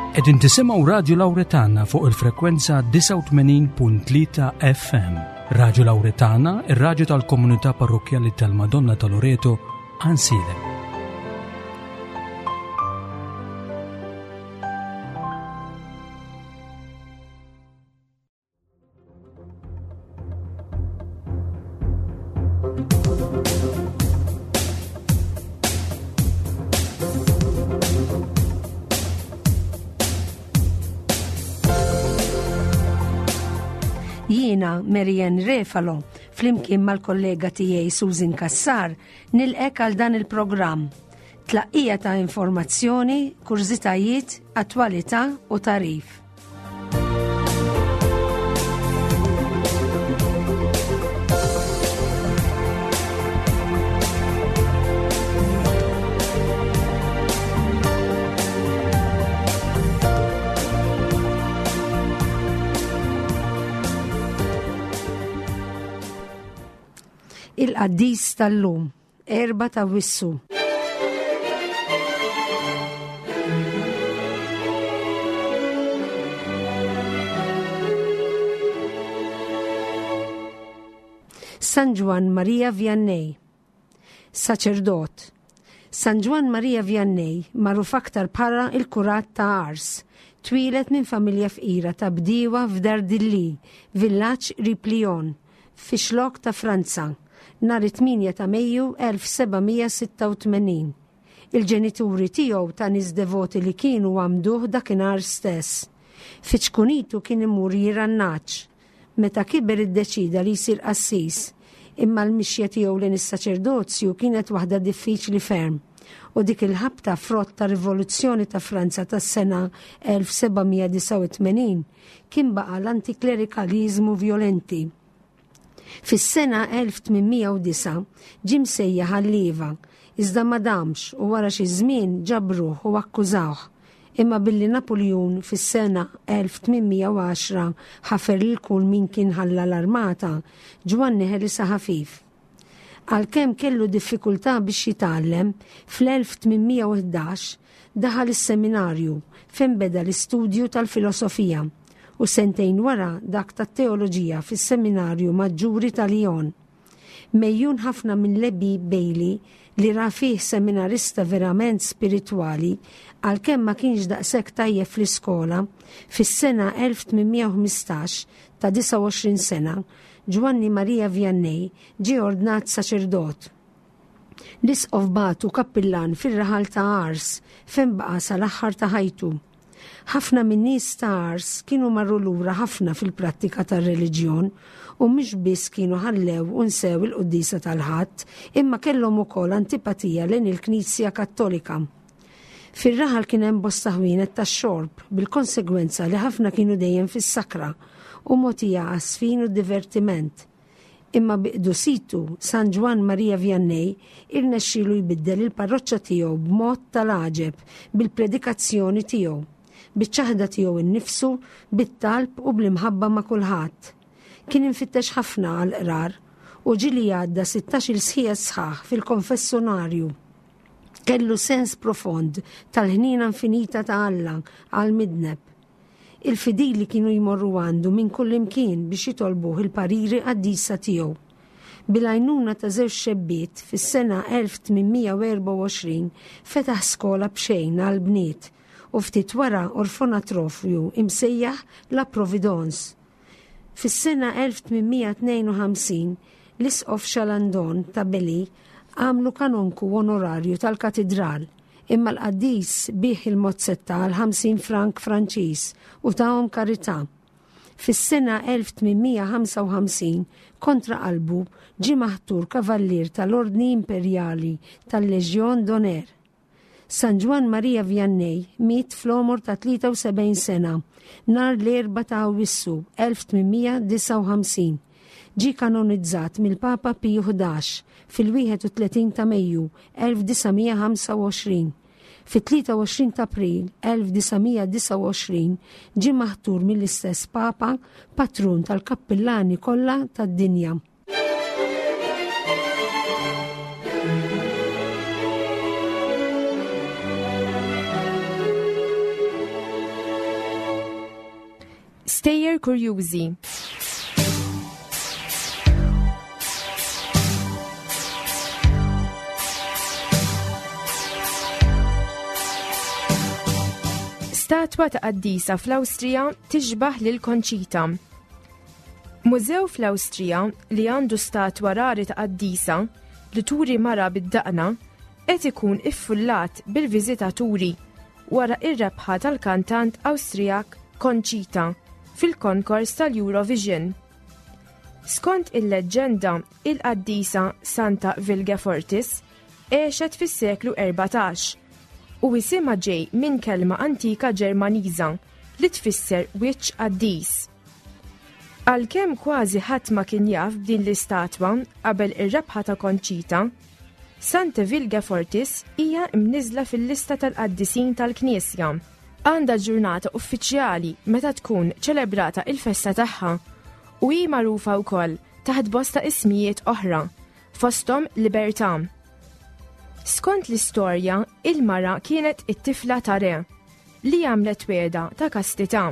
Qegħdin tisimgħu Radju Lawretana fuq il-frekwenza 89.3 FM. Radju Lawretana, ir-radju tal-komunità parrokkjali tal-Madonna ta' Loreto, Ansilem. Jiena Marianne Refalo, flimkien mal-kollega tiegħi Susan Kassar, nilqek għal dan il-programm. Tlaqqija ta' informazzjoni, kurżitajiet, attwalità u tarif. Il-qaddis tal-lum, 4 ta' Wissu. San Ġwann Maria Vianney, saċerdot. San Ġwann Maria Vianney, magħruf aktar bħala il-Kurat ta' Ars, twieled minn familja fqira ta' bdiewa f'Dardilly, villaġġ qrib Lyon, fix-Xlokk ta' Franza, nhar it-8 ta' Mejju 1786. Il-ġenituri tiegħu ta' nies devoti li kienu għammduh dakinhar stess. Fi ċkunitu kien imur jirgħa n-nagħaġ. Meta kiber iddeċieda li jsir qassis, imma l-mixja tiegħu lejn is-saċerdozju kienet waħda diffiċli ferm u dik il-ħabta frott tar-Rivoluzzjoni ta' Franza tas-sena 1789 kien baqa' l-antiklerikaliżmu vjolenti. Fis-sena 1809 ġie msejjaħ għal-lieva, iżda ma damx u wara xi żmien ġabruh u akkużawh. Imma billi Napuljun fis-sena 1810 ħafer lil kull min kien ħalla l-armata, Ġwanni ħelisha ħafif. Għalkemm kellu diffikultà biex jitgħallem, fl-1811 daħal is-seminarju fejn beda l-istudju tal-filosofija u sentejn wara dak tat-teoloġija fis-Seminarju Maġġuri ta' Lyon. Megħjun ħafna minn Lebby Bailey li ra fih seminarista verament spiritwali, għalkemm ma kienx daqshekk tajjeb fl-iskola, fis-sena 1815, ta' 29 sena, Ġwanni Maria Vianney ġie ordnat saċerdot. L-isqof bagħtu kappillan fir-raħal ta' Ars fejn baqa' sal-aħħar ta' ħajtu. Ħafna min-nies ta' Ars kienu marru lura ħafna fil-prattika tar-reliġjon u mhux biss kienu ħallew u nsew il-quddiesa tal-Ħadd imma kellhom ukoll antipatija lejn il-Knisja Kattolika. Fir-raħal kien hemm bosta ħwienet tax-xorb bil-konsegwenza li ħafna kienu dejjem fis-sakra u mogħtija għaż-żfin u d-divertiment. Imma bi qdusitu, San Ġwann Maria Vianney irnexxielu jbiddel il-parroċċa tiegħu b'mod tal-għaġeb bil-predikazzjoni tiegħu, biċ-ċaħda tiegħu nnifsu, bit-talb u bl-imħabba ma' kulħadd. Kien imfittex ħafna għall-qrar u ġieli għadda sittax-il sħiegħa sħaħ fil-konfessonarju. Kellu sens profond tal-ħniena infinita ta' Alla għall-midneb. Il-fidili kienu jmorru għandu minn kullimkien biex jitolbuh il-pariri qaddisa tiegħu. Bil-għajnuna ta' żewġ xebbiet, fis-sena 1824 fetaħ skola b'xejn għall-bniet u ftit wara orfonatrofju imsejjaħ La Providence. Fis-sena 1852, l-Isqof Chalandon ta' Belley għamlu kanonku onorarju tal-katidral, imma l-qaddis biegħ il-mozzetta għal 50 frank Franċiż u tahom karità. Fis-sena 1855, kontra qalbu, ġie maħtur kavallier tal-Ordni Imperjali tal-Légion d'Honneur. San Ġwann Maria Vianney miet fl-għomor ta' 73 sena, nhar l-Erbgħa ta' Awwissu 1859. Ġie kanonizzat mill-Papa Piju Ħdax fil-31 ta' Mejju 1925. Fit-23 ta' April 1929 ġie maħtur mill-istess Papa patrun tal-kappillani kollha tad-dinja. Stejjer kurjużi. Statwa ta' qaddisa fl-Awstrija tixbaħ lil Conchita. Mużew fl-Awstrija li għandu statwa rari ta' qaddisa li turi mara bid-daqna qed ikun iffullat bil-viżitaturi wara ir-rebħa tal-kantant Awstrijak Conchita fil-konkors tal-Eurovision. Skont il-leġġenda, il-qaddisa Santa Vilgefortis għexet fis-seklu 14 u isimha ġej minn kelma antika Ġermaniża li tfisser wiċċ qaddis. Għalkemm kważi ħadd ma kien jaf b'din l-istatwa qabel ir-rebħa ta' Conchita, Santa Vilgefortis hija mniżżla fil-lista tal-qaddisin tal-Knisja. Għandha ġurnata uffiċjali meta tkun ċelebrata il-festa tagħha u hi magħrufa wkoll taħt bosta ismijiet oħra, fosthom Libertà. Skont l-istorja, il-mara kienet it-tifla ta' re li għamlet wegħda ta' kastità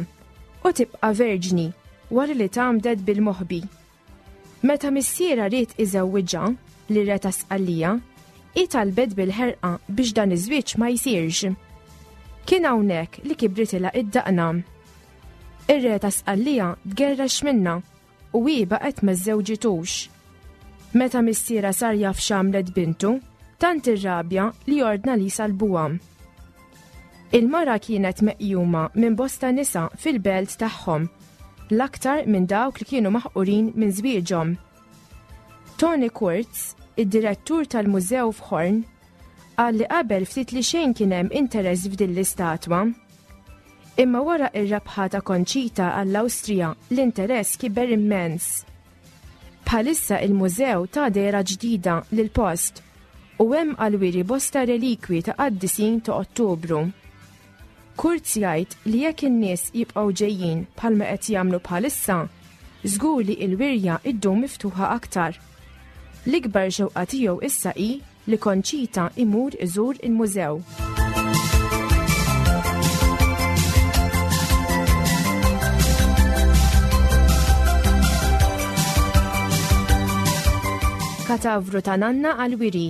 u tibqa' verġni wara li tgħammdet bil-moħbi. Meta missierha ried iżewwiġha lir-re ta' Sqallija, hi talbet bil-ħerqa biex dan iż-żwieġ ma jsirx. Kien hawnhekk li kibritilha id-daqna. Ir-re ta' Sqallija tgerrex minnha u hi baqgħet ma żżewġitux. Meta missierha sar jaf x'għamlet bintu, tant irrabja li ordna li jsalbuha. Il-mara kienet meqjuma minn bosta nisa fil-belt tagħhom, l-aktar minn dawk li kienu maħqurin minn żwieġhom. Tony Kurtz, id-direttur tal-mużew f'Horn, qal li qabel ftit li xejn kien hemm interess f'din l-istatwa. Imma wara ir-rebħa ta' Conchita għall-Awstrija l-interess kiber immens. Bħalissa il-mużew ta dehra ġdida lill-post u hemm għall-wiri bosta relikwi ta' qaddisin ta' Ottubru. Kurz jgħid li jekk in-nies jibqgħu ġejjin bħalma qed jagħmlu bħalissa, żgur li il-wirja ddum miftuħa aktar. L-ikbar xewqa tiegħu issa hi li Conchita imur iżur il-mużew. Katavru ta' nanna għal-wiri.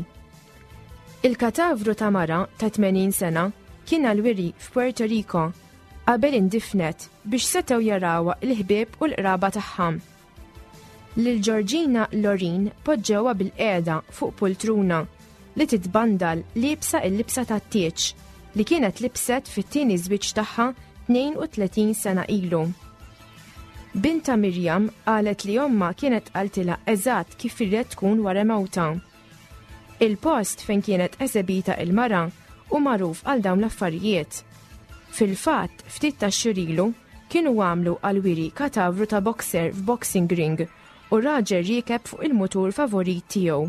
Il-katavru ta' mara ta' 80 sena kien għal-wiri f'Puerto Rico qabel indifnet biex setgħu jarawha l-ħbieb u l-qraba tagħha. Lil Georgina Lorin poġġewha bilqiegħda fuq pultruna li titbandal liebsa l-libsa tat-tieġ li kienet libset fit-tieni żwieġ tagħha 32 sena ilu. Bintha Miriam qalet li ommha kienet qaltilha eżatt kif irried tkun wara mewtha. Il-post fejn kienet esebita il-mara hu magħruf għal dawn l-affarijiet. Fil-fatt, ftit tax-xhur ilu, Kienu għamlu għall-wiri katavru ta' boxer f'boxing ring u raġel riekeb fuq il-mutur favorit tiegħu.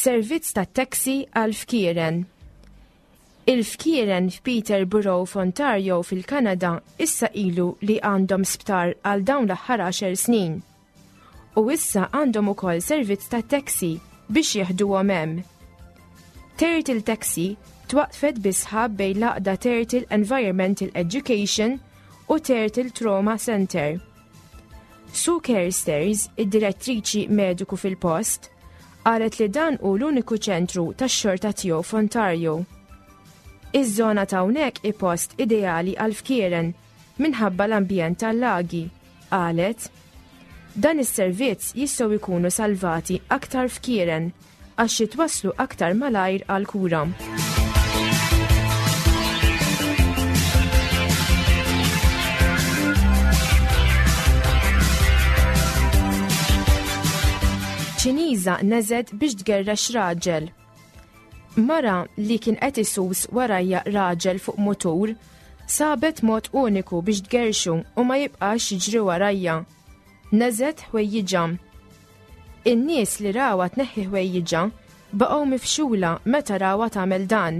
Servizz ta' taxi għal fkieren. Il-fkieren f'Peterborough f'Ontario fil-Kanada issa ilu li għandhom sptar għal dawn l-aħħar għaxar snin. U issa għandhom ukoll servizz ta' taxi biex jeħduhom hemm. Turtle Taxi twaqfet bi sħab bejn l-għaqda Turtle Environmental Education u Turtle Trauma Center. Sue Kersters, id-direttriċi mediku fil-post, qalet li dan hu l-uniku ċentru tax-xorta tiegħu f'Ontario. Iż-żona ta' hawnhekk hi post ideali għal fkieren minħabba l-ambjent tal-lagi, qalet. Dan is-servizz jistgħu jkunu salvati aktar fkieren għax jitwasslu aktar malajr għall-kura. Ċiniża neżet biex tgerrex raġel. Mara li kien qed isus warajja raġel fuq mutur sabet mod uniku biex tgerxu u ma jibqax jiġri warajja. Neżet ħwejjiġha. In-nies li rawha tneħħi ħwejjiġha baqgħu mifxula meta rawha tagħmel dan.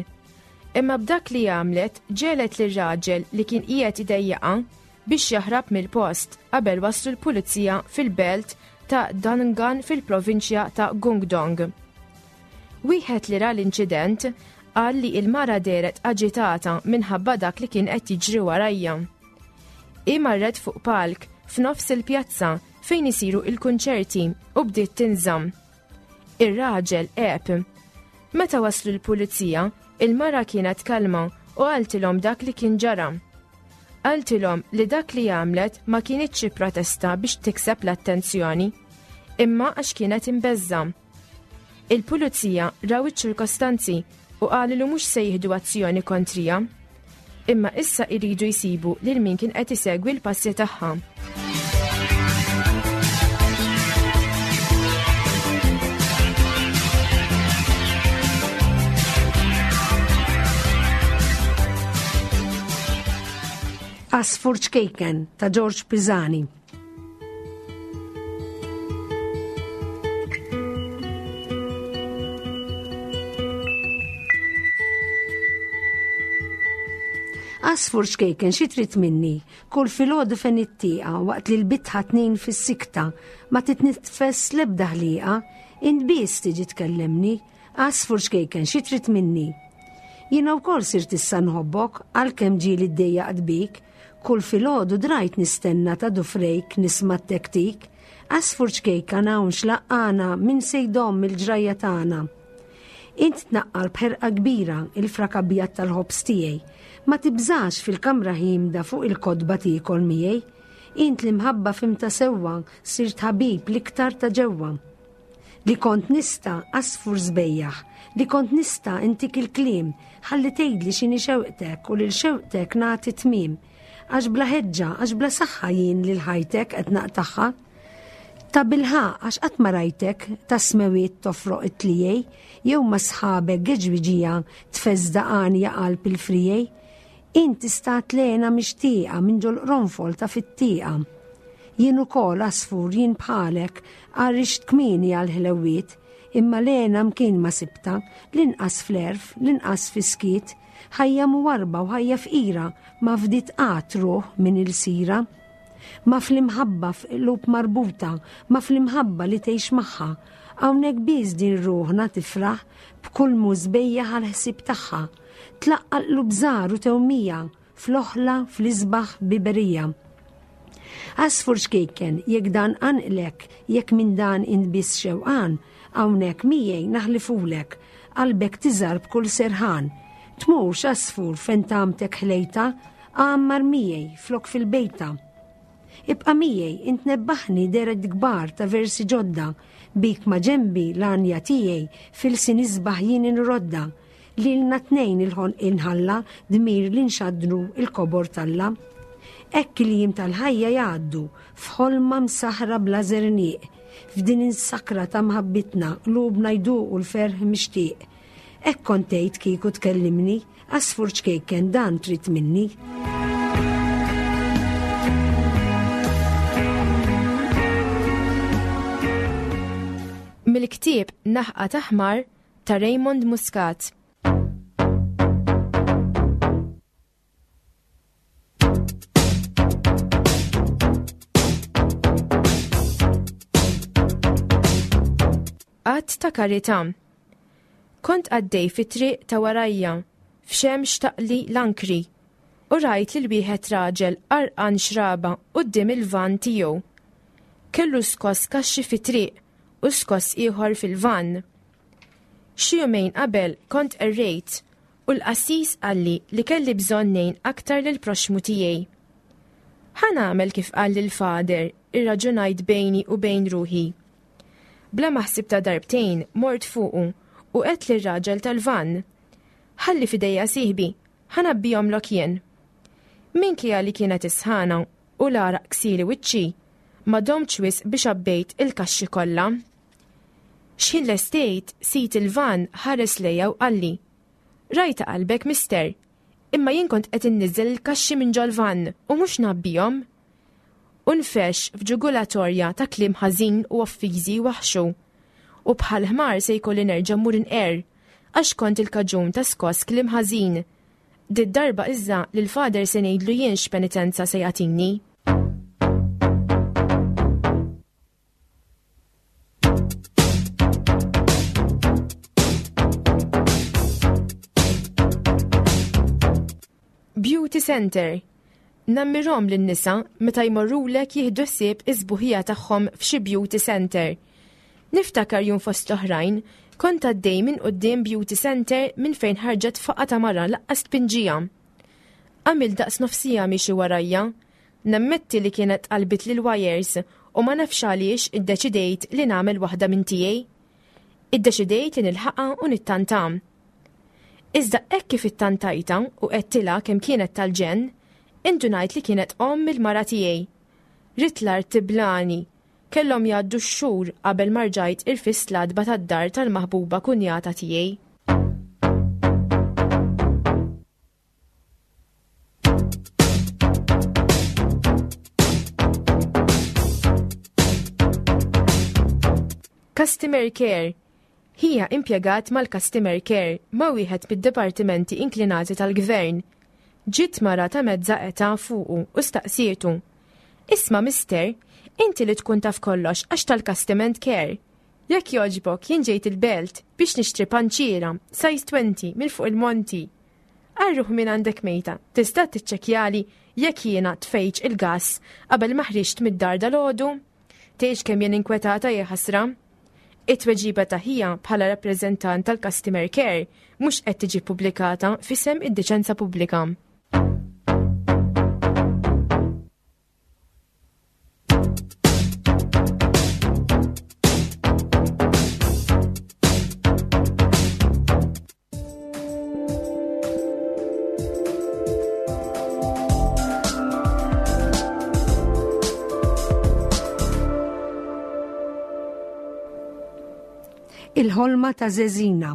Imma b'dak li għamlet ġegħlet lir-raġel li kien qiegħed idejjaqha biex jaħrab mill-post qabel waslu l-pulizija fil-belt ta' Dangan fil-provinċja ta' Gungdong. Wieħed li ra l-inċident qal li il-mara dehret aġitata minħabba dak li kien qed jiġri warajja. Hi marret fuq palk f'nofs il-pjazza fejn isiru il-kunċerti u bdiet tinżamm. Ir-raġel għeb. Meta waslu l-pulizija, il-mara kienet kalma u qaltilhom dak li kien ġara. Qaltilhom li dak li għamlet ma kinitx xi protesta biex tikseb l-attenzjoni, imma għax kienet imbeżża'. Il-pulizija raw iċ-ċirkostanzi u qalu li mhux se jieħdu azzjoni kontrija. Imma issa jridu jsibu lil min kien qed isegwi l-passi tagħha. Għasfur ċkejken ta' George Pisani. Għasfur ċkejken xi trid minni, kull filgħodu fejn it-tieqa waqt li l-bitħa tnin fis-sikta ma titnitfes l-ebda ħliqa, int biss tiġi tkellemni, għasfur ċkejken xi trid minni. Jiena wkoll sirt issa nħobbok għalkemm ġieli ddejjaqt bik, Kull filgħodu drajt nistenna ta' dufrejk nisma' t-tektik, għasfur ċkejkan hawn x'laqqagħna min se jdomm il-ġrajja tagħna. Int tnaqqar b'ħerqa kbira il-frak abjad tal-ħobż tiegħi. Ma tibżax fil-kamra ħiemda fuq il-kotba tiekol miegħi. Int l-imħabba fhimtha sewwa sirt ħabib l-iktar ta' ġewwa. Li kont nista' għasfur sbejjaħ, li kont nista' intik il-kliem, ħalli tgħidli x'inhi xewqtek u lil xewqtek nagħti tmiem. Għax bla ħeġġa, għax bla saħħa jien lil ħajtek qed naqtagħha. Tabilħaqq għax qatt ma rajtek tas-smewiet tofroq it-tliegħi, jew ma' sħabek geġwiġija tfeżżda għanja qalb il-friegħi. Int istat l-hena mixtieqa minn ġol-qronfol ta' fit-tieqa. Jien ukoll għasfur jien bħalek għarrixt kmieni għall-ħlewwiet, imma l-hena mkien ma sibtha, linqas fl-għerf, linqas fis-skiet. Ħajja mwarrba u ħajja fqira ma fdiet qatt ruħ minn ilsira. Ma fl-imħabba f'qlub marbuta, ma fl-imħabba li tgħix magħha. Hawnhekk biss din ruħna tifraħ b'kull mhu sbejjaħ għall-ħsieb tagħha. Tlaqqa' l-qlub żgħar u tewmija fl-oħla fl-isbaħ biberija. Għasfur ċkejken, jekk dan qanqlek, jekk minn dan int biss xewqan, hawnhekk miegħi naħlifulek, qalbek tiżgħar b'kull serħan. Tmurx għasfur fejn tagħmtek ħlejta, għammar miegħi flok fil-bejta. Ibqa' miegħi, int nebbaħni deret kbar ta' versi ġodda, bik ma' ġenbi l-għanja tiegħi f'ilsien isbaħ jien inrodda. Lilna tnejn il-ħonqien ħalla dmir li nxaddru l-kobor t'Alla. Hekk il-jiem tal-ħajja jgħaddu f'ħolma msaħħra bla żerniq. F'din is-sakra ta' mħabbitna qlubna jduqu l-ferħ mixtieq. Hekk kont tgħid kieku tkellimni, għasfur ċkejken dan trid minni. Mill-ktieb Naħqa ta' Ħmar ta' Raymond Muscat. Att ta' karità. Kont għaddej fit-triq ta' warajja, f'xemx taqli l-ankri, u rajt lil wieħed raġel għarqan xraba quddiem il-vann tiegħu. Kellu skoss kaxxi fit-triq u skoss ieħor fil-vann. Xi jumejn qabel kont qerrejt u l-qassis qalli li kelli bżonn ngħin aktar lill-proxxmu tiegħi. Ħa nagħmel kif qalli l-Father, irraġunajt bejni u bejn ruħi. Bla ma ħsibtha darbtejn mort fuqu u għedt lir-raġel tal-vann, Ħalli f'idejja sieħbi, ħa ngħabbihomlok jien. Minkejja li kienet is-sħana u l-għaraq ksieli wiċċi, ma domtx wisq biex għabbejt il-kaxxi kollha. X'ħin lestejt, sid il-vann ħares lejja u qalli, Rajtha qalbek, mister, imma jien kont qed inniżżel il-kaxxi minn ġol-vann u mhux ngħabbihom. U nfexx f'ġugulatorja ta' kliem ħażin u offiżi jwaħħxu. U bħal ħmar se jkolli nerġa' mmur inqerr, għax kont il-kaġun ta' skoss kliem ħażin. Did-darba iżda lill-Father se ngħidlu jien x'penitenza se jagħtini. Center. Nammirhom lin-nisa meta jmorrulek jieħdu ħsieb is-sbuħija tagħhom f'xi beauty center. Niftakar jum fost l-oħrajn, kont għaddej minn quddiem beauty center minn fejn ħarġet faqa ta' mara laqqas tpinġija. Għamil daqs nofsija miexi warajja. Nammetti li kienet qalbit lil wires u ma nafx għaliex iddeċidejt li nagħmel waħda minn tiegħi. Iddeċidejt li nilħaqha u nittanta. Iżda hekk kif ittantajtha u għedtilha kemm kienet tal-ġenn, indunajt li kienet omm il-mara tiegħi. Ridt l-art tiblagħni. Kellhom jgħaddu x-xhur qabel ma rġajt irfist l-għatba tad-dar tal-maħbuba kunjata tiegħi. Customer Care Hija impjegat mal-Customer Care ma' wieħed mid-dipartimenti inklinati tal-Gvern. Ġiet mara ta' mezza età fuqu u staqsietu, Isma' mister, inti li tkun taf kollox għax tal-Customer Care. Jekk jogħġbok jien ġejt il-Belt biex nixtri panċiera, size 20, minn fuq il-monti. Għal ruħ min għandek mejta, tista' tiċċekkjali jekk jiena tfejtx il-gass qabel ma ħriġt mid-dar dalgħodu? Tgħidx kemm jien inkwetata jaħasra. It-tweġiba ta' ħija bħala rappreżentant tal-Customer Care mhux qed tiġi ppubblikata f'isem id-diċenza pubblika. Il-ħolma ta' Zezina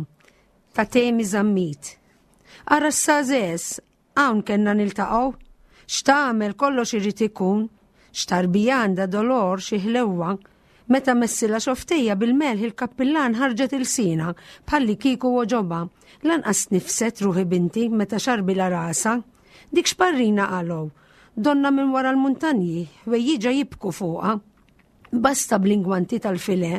ta' Temi Zammit. Ara s-sazes, hawn kellna niltaqgħu. X'tagħmel kollox irid ikun. X'tarbija għandha dolor xi ħlewwa. Meta messilha xoftejja bil-melħ il-kappillan ħarġet ilsienha bħalli kieku għoġobha. Lanqas tnifset ruħi binti meta xarbilha rasha. Dik x'parrina qalgħu. Donna minn wara l-muntanji, ħwejjiġha jibku fuqha. Basta bl-ingwanti tal-filè,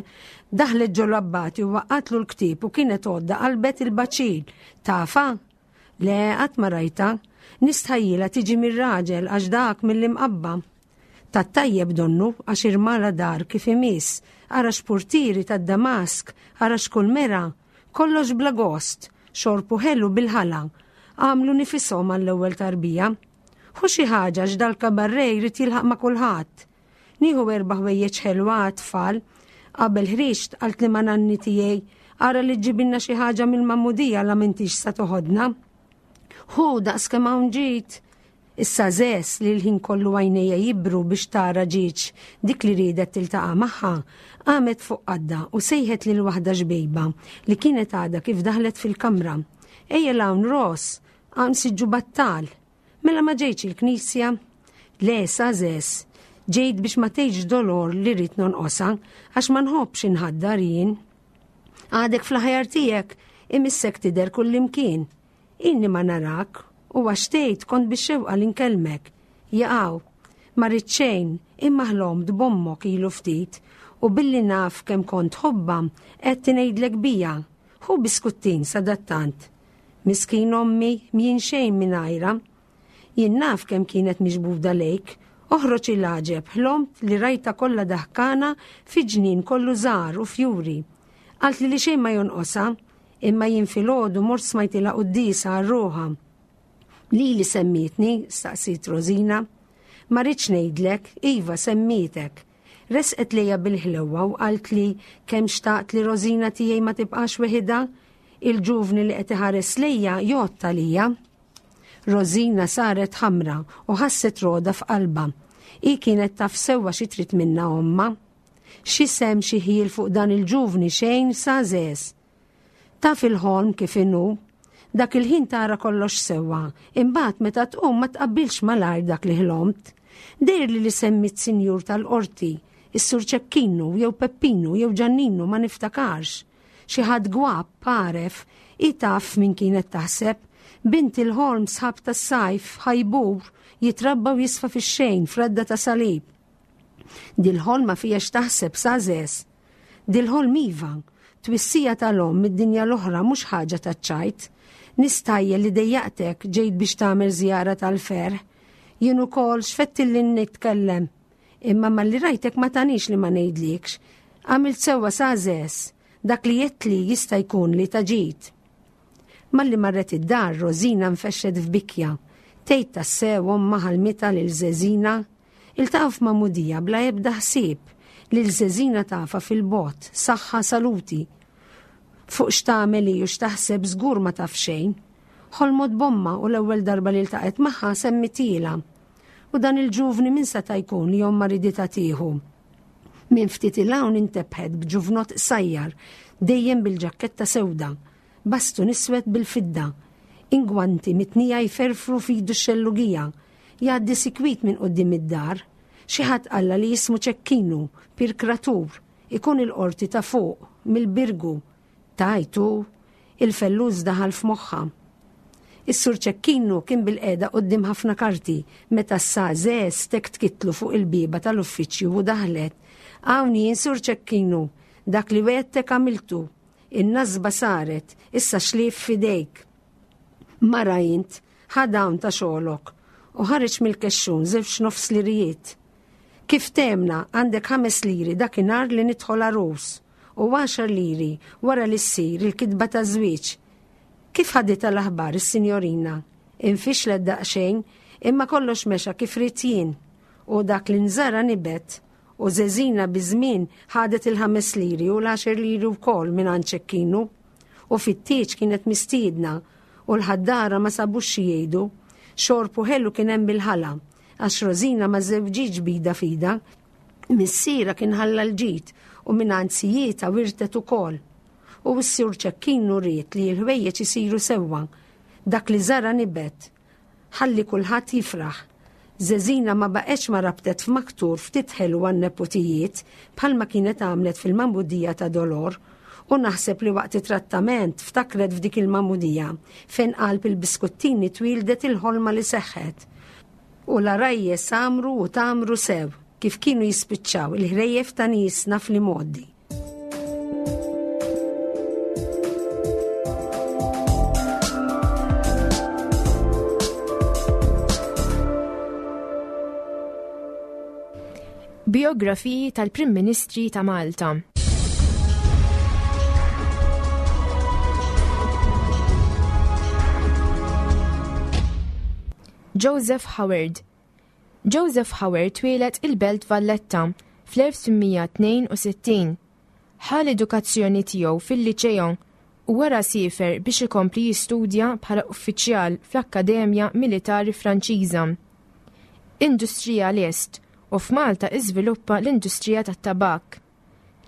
daħlet ġo l-abbati u waqqatlu l-ktieb u kienet għodda qalbet il-baċil. Tafha? Le, qatt ma rajtha. Nistħajjilha tiġi mir-raġel għax dak mill-Imqabba. Tat-tajjeb donnu għax irmala dar kif imiss, ara x'purtieri tad-damask, ara x'kull mera, kollox bla gost, xorb u ħelu bil-ħala. Għamlu nifishom għall-ewwel tarbija. Ħu xi ħaġa għax dal-kabarre jrid jilħaq ma' kulħadd. Nieħu erba' ħwejjeġ ħelwa għat-tfal. Qabel ħriġt qaltli ma' nanni tiegħi, ara li ġġibilna xi ħaġa mill-magħmudija la m'intix sa toħodna. Ħu daqs kemm hawn ġid. Issa Zes li l-ħin kollu għajnejja jibru biex tara ġiex dik li riedet tiltaqa' magħha, qamet fuq qadda u sejħet lil waħda xbejba li kienet għadha kif daħlet fil-kamra. Ejja 'l hawn Ros, hawn siġġu battal. Mela ma ġejtx il-knisja? Le, sa Zes, ġejt biex ma tgħidx dolor li rrid nonqosha għax ma nħobbx inħaddar jien. Għadek fl-aħjar tiegħek, imissek tidher kullimkien. Inni ma narak u għax tgħid kont bix-xewqa li nkellmek. Jaqaw, ma rrid xejn, imma ħlomt b'ommok ilu ftit u billi naf kemm kont tħobbha qed ngħidlek bija. Ħu biskuttin sadattant. Miskin ommi, m'jien xejn mingħajrha. Jien naf kemm kienet miġbuda lejk. Oħroġ il-għaġeb, ħlomt li rajtha kollha daħkana fi ġnien kollu żahar u fjuri. Qaltli li xejn ma jonqosha, imma jien filgħodu mort smajtilha quddiesa għal ruħha. Lili semmietni? staqsiet Rosina. Ma rridx ngħidlek, iva semmietek. Resqet lejja bil-ħlewwa u qaltli kemm xtaqt li Rosina tiegħi ma tibqax weħidha. Il-ġuvni li qed iħares lejja jgħodd għalija. Rosina saret ħamra u ħasset roda f'qalbha. Hi kienet taf sewwa xi trid minnha ommha. X'isem xi ħjiel fuq dan il-ġuvni xejn sa żeż. Taf il-ħolm kif inhu. Dak il-ħin tara kollox sewwa, imbagħad meta tqum ma tqabbilx malajr dak li ħlomt. Dehrli li semmiet sinjur tal-qorti, is-Sur Ċekkinu jew Peppinu jew Ġanninu ma niftakarx. Xi ħadd gwapp, għaref, hi taf f'min kienet taħseb. Bint il-ħolm sħab tas-sajf, ħajbur, jitrabba u jisfa fix-xejn f'radda ta' salib. Dil-ħolma fija x'taħseb sa żeż. Dil-ħolm iva, twissija tal-omm mid-dinja l-oħra mhux ħaġa taċ-ċajt. Nistajjel li dejjaqtek ġejt biex tagħmel żjara tal-ferħ. Jien ukoll x'fettilli nitkellem. Imma malli rajtek ma tanix li ma ngħidlikx. Għamilt sewwa sa żeż. Dak li għedtli jista' jkun li ta' ġid. Malli marret id-dar, Rosina nfexxet f'bikja. Tgħid tassew ommha ħalmitha lil Żeżina? Iltaqgħu f'magħmudija bla ebda ħsieb. Lil Żeżina tafha fil-bogħod, saħħa saluti. Fuq x'tagħmel hi u x'taħseb żgur ma taf xejn. Ħolmot b'ommha u l-ewwel darba li ltaqgħet magħha semmitielha. U dan il-ġuvni min seta' jkun li ommha riditha tieħu? Minn ftit 'il hawn intebħet b'ġuvnott qsajjar, dejjem bil-ġakketta sewda, bastun iswed bil-fidda, ingwanti mitnija jferfru f'idu x-xellugija, jgħaddi sikwit minn quddiem id-dar. Xi ħadd qallha li jismu Ċekkinu, pirkratur, ikun il-qorti ta' fuq, mill-Birgu. Tgħid hu? Il-fellus daħal f'moħħha. Is-Sur Ċekkinu kien bilqiegħda quddiem ħafna karti meta s-Sa Żeż tektkitlu fuq il-bieba tal-uffiċċju u daħlet. Hawn jien Sur Ċekkinu, dak li wegħdtek għamiltu. In-nasba saret, issa xlief f'idejk. Mara int, ħa dawn ta' xogħlok. U ħareġ mill-kexxun żewġ nofs lirijiet. Kif temna, għandek ħames liri dakinhar li nidħol għarus u għaxar liri wara li ssir il-kitba taż-żwieġ. Kif ħaditha l-aħbar is-sinjorina? Infixlet daqsxejn, imma kollox mexa kif ridt jien. U dak li nżara nibet. U Żeżina biż-żmien ħadet il-ħames liri u l-għaxar liri wkoll mingħand Ċekkinu. U fit-tieġ kienet mistiedna u l-ħaddara ma sabux xi jgħidu. Xorb u ħelu kien hemm bil-ħala. Għax Rosina ma żewġitx b'idha f'idha, missierha kien ħalla l-ġid u mingħand sijietha wirtet ukoll. U s-Sur Ċekkinu ried li l-ħwejjeġ isiru sewwa. Dak li żara nibet. Ħalli kulħadd jifraħ. Żeżina ma baqgħetx ma rabtet f'maktur ftit ħelu għan-neputijiet bħalma kienet għamlet fil-magħmudija ta' Dolor u naħseb li waqt it-trattament ftakret f'dik il-magħmudija fejn qalb il-biskuttini twieldet il-ħolma li seħħet. U l-għarajjes għamru u tgħammru sew kif kienu jispiċċaw il-ħrejjef ta' niesna fl-imgħoddi. Bijografiji tal-Prim Ministri ta' Malta. Joseph Howard Joseph Howard twieled il-Belt Valletta fl-1862. Ħa l-edukazzjoni tiegħu fil-Liċeo u wara siefer biex ikompli jistudja bħala uffiċjal fl-Akkademja Militari Franċiża. Industrijalist u f'Malta iżviluppa l-industrija tat-tabakk.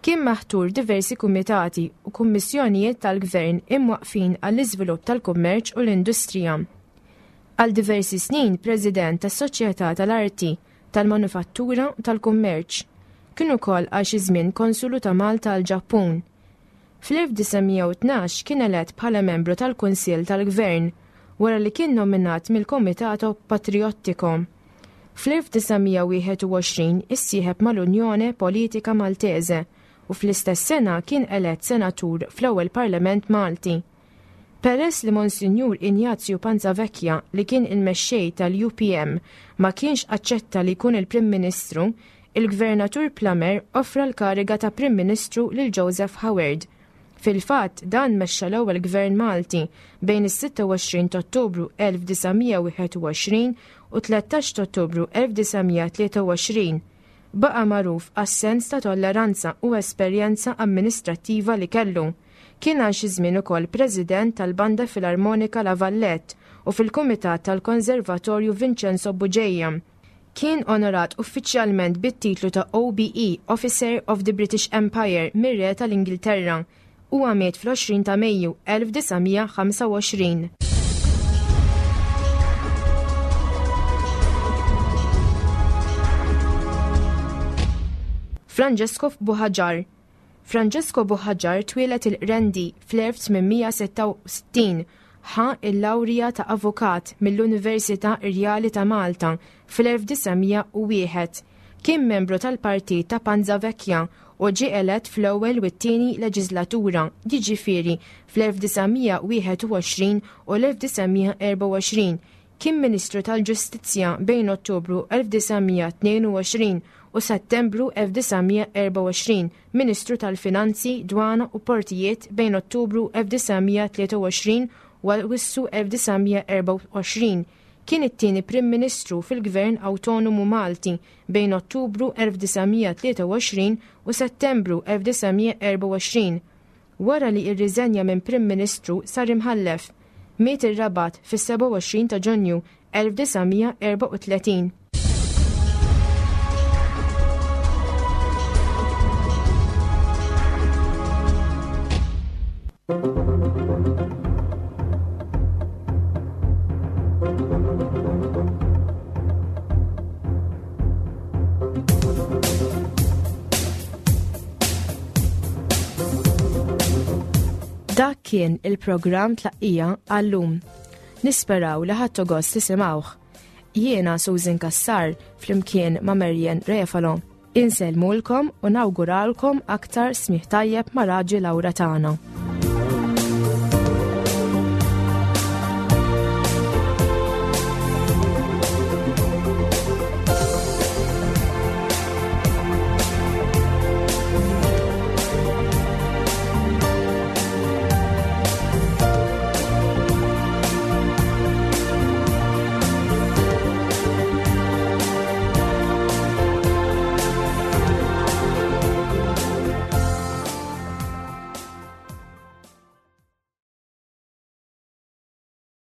Kien maħtur diversi kumitati u kummissjonijiet tal-gvern imwaqqfin għall-iżvilupp tal-kummerċ u l-industrija. Għal diversi snin President tas-Soċjetà tal-Arti, tal-Manufattura u tal-Kummerċ. Kien ukoll għal xi żmien Konsulu ta' Malta għall-Ġappun. Fl-1912 kien elett bħala membru tal-Kunsill tal-Gvern wara li kien nominat mill-Comitato Patriottico. Fl-1921 issieħeb mal-Unione Politica Maltese u fl-istess sena kien elett senatur fl-ewwel Parlament Malti. Peress li Monsinjur Ignazju Panzavecchia li kien il-mexxej tal-UPM ma kienx aċċetta li jkun il-Prim Ministru, il-Gvernatur Plummer offra l-kariga ta' Prim Ministru lil Joseph Howard. Fil-fatt, dan mexxa l-ewwel Gvern Malti bejn is-26 t'Ottubru 1921 u 13 t'Ottubru 1923. Baqa' magħruf għas-sens ta' tolleranza u esperjenza amministrattiva li kellu. Kien għal xi żmien ukoll President tal-Banda Filarmonika La Vallette u fil-Kumitat tal-Konservatorju Vincenzo Bugeja. Kien onorat uffiċjalment bit-titlu ta' OBE, Officer of the British Empire, mir-Re tal-Ingilterra. Huwa miet fl-20 ta' Mejju 1925. Francesco Buhaġar Francesco Buhaġar twieled il-Qrendi fl-1866, ħa l-lawrija ta' avukat mill-Università Irjali ta' Malta fl-1901. Kien membru tal-partit ta' Panza Vecchia u ġie elett fl-ewwel u t-tieni leġiżlatura, jiġifieri fl-1921 u l-1924. Kien Ministru tal-Ġustizzja bejn Ottubru 1922 u Settembru 1924, Ministru tal-Finanzi, Dwana u Portijiet bejn Ottubru 1923 u Awwissu 1924. Kien it-tieni Prim Ministru fil-Gvern Awtonomu Malti bejn Ottubru 1923 u Settembru 1924. Wara li irriżenja minn Prim Ministru sar imħallef. Miet ir-Rabat fis-27 ta' Ġunju 1934. Dak kien il-programm tlaqqija għallum. Nisperaw li ħadtu gost tisimgħuh. Jiena Susan Kassar flimkien ma' Marian Refalo. Insellmulkom u nawguralkom aktar smih tajjeb ma' Raġi Laura tagħna.